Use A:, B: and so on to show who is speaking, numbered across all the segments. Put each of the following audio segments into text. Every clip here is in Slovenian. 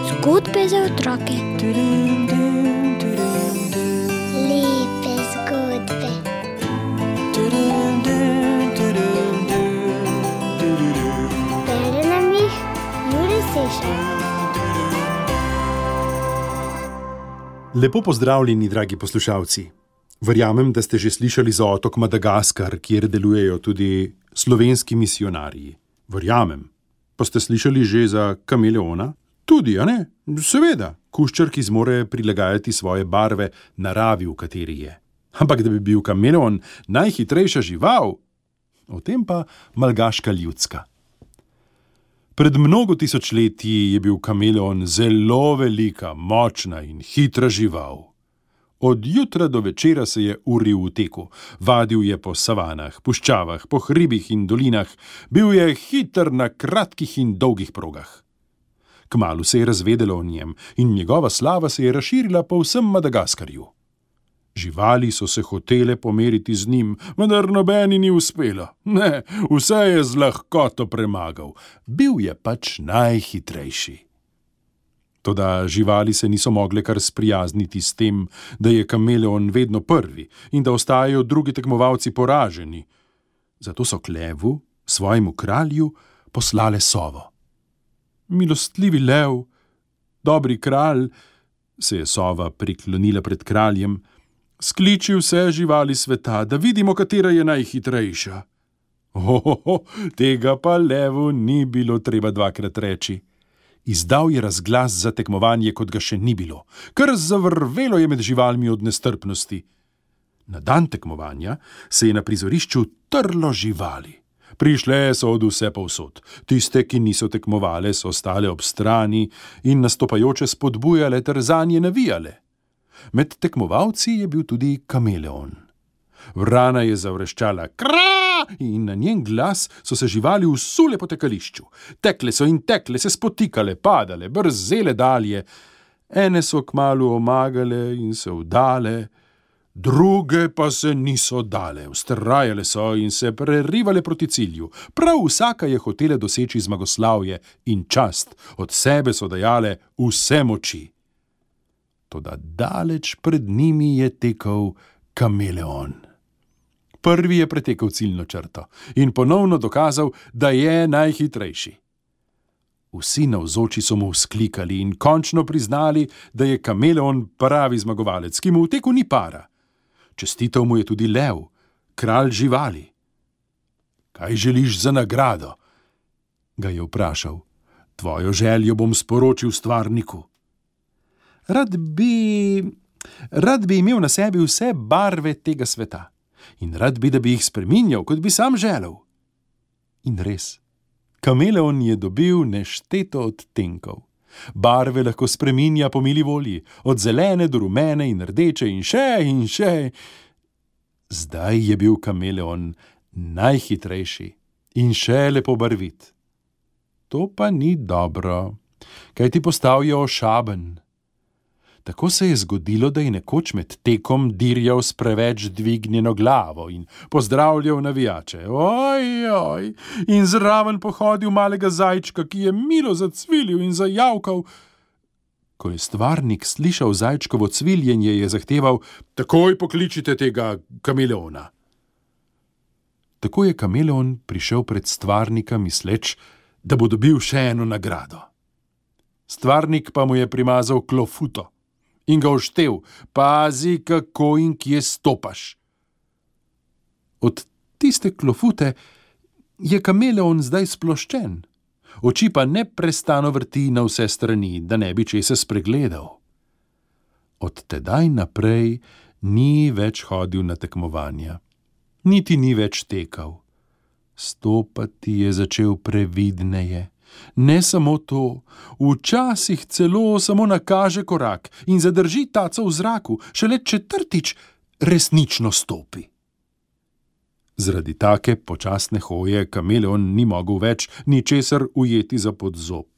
A: Zgodbe za otroke.
B: Lepe zgodbe. Bere nam jih Jure Sešar.
C: Lepo pozdravljeni, dragi poslušalci. Verjamem, da ste že slišali za otok Madagaskar, kjer delujejo tudi slovenski misijonarji. Verjamem. Pa ste slišali že za kameleona? Tudi, a ne? Seveda, kuščar, ki zmore prilagajati svoje barve naravi, v kateri je. Ampak da bi bil kameleon najhitrejša žival, o tem pa malgaška ljudska. Pred mnogo tisočletji je bil kameleon zelo velika, močna in hitra žival. Od jutra do večera se je uril v teku, vadil je po savanah, puščavah, po hribih in dolinah, bil je hiter na kratkih in dolgih progah. Kmalu se je razvedelo o njem in njegova slava se je razširila po vsem Madagaskarju. Živali so se hotele pomeriti z njim, vendar nobeni ni uspelo. Ne, vse je z lahkoto premagal. Bil je pač najhitrejši. Toda živali se niso mogle kar sprijazniti s tem, da je kameleon vedno prvi in da ostajajo drugi tekmovalci poraženi. Zato so k levu, svojemu kralju, poslale sovo. Milostljivi lev, dobri kralj, se je sova priklonila pred kraljem, skliči vse živali sveta, da vidimo, katera je najhitrejša. Tega pa levu ni bilo treba dvakrat reči. Izdal je razglas za tekmovanje, kot ga še ni bilo. Kar zavrvelo je med živalmi od nestrpnosti. Na dan tekmovanja se je na prizorišču trlo živali. Prišle so od vse povsod. Tiste, ki niso tekmovale, so stale ob strani in nastopajoče spodbujale ter zanje navijale. Med tekmovalci je bil tudi kameleon. Vrana je zavreščala kra in na njen glas so se živali usule po tekališču. Tekle so in tekle, se spotikale, padale, brzele dalje. Ene so kmalu omagale in se vdale, druge pa se niso dale, vztrajale so in se prerivale proti cilju. Prav vsaka je hotela doseči zmagoslavje in čast, od sebe so dajale vse moči. Toda daleč pred njimi je tekel kameleon. Prvi je pretekel ciljno črto in ponovno dokazal, da je najhitrejši. Vsi navzoči so mu vzklikali in končno priznali, da je kameleon pravi zmagovalec, ki mu v teku ni para. Čestital mu je tudi lev, kralj živali. Kaj želiš za nagrado? Ga je vprašal. Tvojo željo bom sporočil stvarniku. Rad bi imel na sebi vse barve tega sveta in rad bi, da bi jih spreminjal, kot bi sam želel. In res, kameleon je dobil nešteto odtenkov. Barve lahko spreminja po mili volji, od zelene do rumene in rdeče in še. Zdaj je bil kameleon najhitrejši in še lepo barvit. To pa ni dobro, kajti postal je ošaben. Tako se je zgodilo, da je nekoč med tekom dirjal s preveč dvignjeno glavo in pozdravljal navijače. Oj, in zraven pohodil malega zajčka, ki je milo zacvilil in zajavkal. Ko je stvarnik slišal zajčkovo cviljenje, je zahteval: takoj pokličite tega kameleona. Tako je kameleon prišel pred stvarnika, misleč, da bo dobil še eno nagrado. Stvarnik pa mu je primazal klofuto in ga oštel: pazi, kako in kje stopaš. Od tiste klofute je kameleon zdaj sploščen, oči pa neprestano vrti na vse strani, da ne bi česa spregledal. Od tedaj naprej ni več hodil na tekmovanja, niti ni več tekal. Stopati je začel previdneje. Ne samo to, včasih celo samo nakaže korak in zadrži taco v zraku, šele četrtič resnično stopi. Zaradi take počasne hoje kameleon ni mogel več ničesar ujeti za podzob.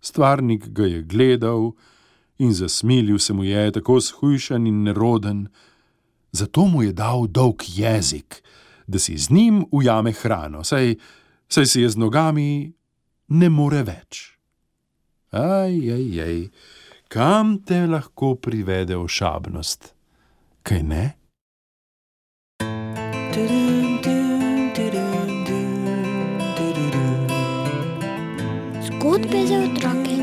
C: Stvarnik ga je gledal in zasmilil se mu je, tako shujšan in neroden. Zato mu je dal dolg jezik, da si z njim ujame hrano, saj saj si je z nogami ne more več. Kam te lahko privede ošabnost, kaj ne?
A: Zgodbe za otroke.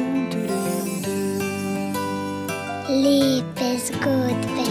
B: Lepe zgodbe.